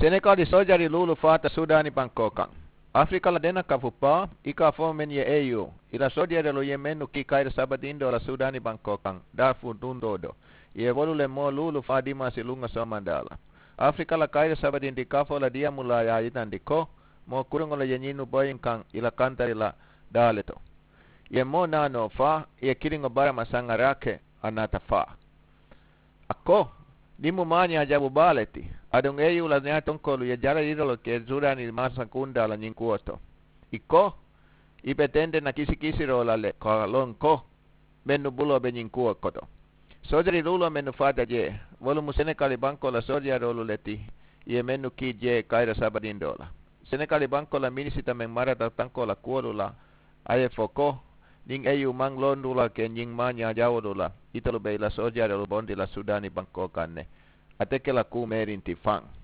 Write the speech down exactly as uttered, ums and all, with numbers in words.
Senekali soojari luulu faata sudaani bankoo kaŋ. Afirika la dena kafu paa i ka fo men ye e yu i la soojari luulu ye mennu kii kayira sabadindoo la sudaani bankoo kaŋ daafu dundoo do i ye wolu le moo luulu faa dimaasi luŋo soomandaa la. Afirika la kayira sabadindi kafoo la diyaamu la ye a yitandi ko moo kuruŋo le ye ñinnu boyinkaŋ i la kantari la daa le to. I ye moo naanoo faa i ye kiliŋo barama saŋ a raake a naata faa. A ko, niŋ mu maañaa jabu baa le ti, aduŋ e yu la ñaatonkoolu ye jara yiroo le ke sudaani maasa kundaa la ñiŋ kuwo to. I ko, i be tende na kisikisiroo la le ko a loŋ ko mennu buloo be ñiŋ kuwo koto. Soojari luuloo mennu faata jee, wolu mu senekali bankoo la soojaroolu le ti i ye mennu kii jee kayira sabadindoo la. Senekali bankoo la minisita meŋ marata tankoo la kuwolu la, a ye fo ko, niŋ e yu maŋ loondu la ke ñiŋ maañaa jawoolu la, itolu be i la soojaroolu bondi la sudaani bankoo kaŋ ne. Ate ke la kuu meerinti faŋ.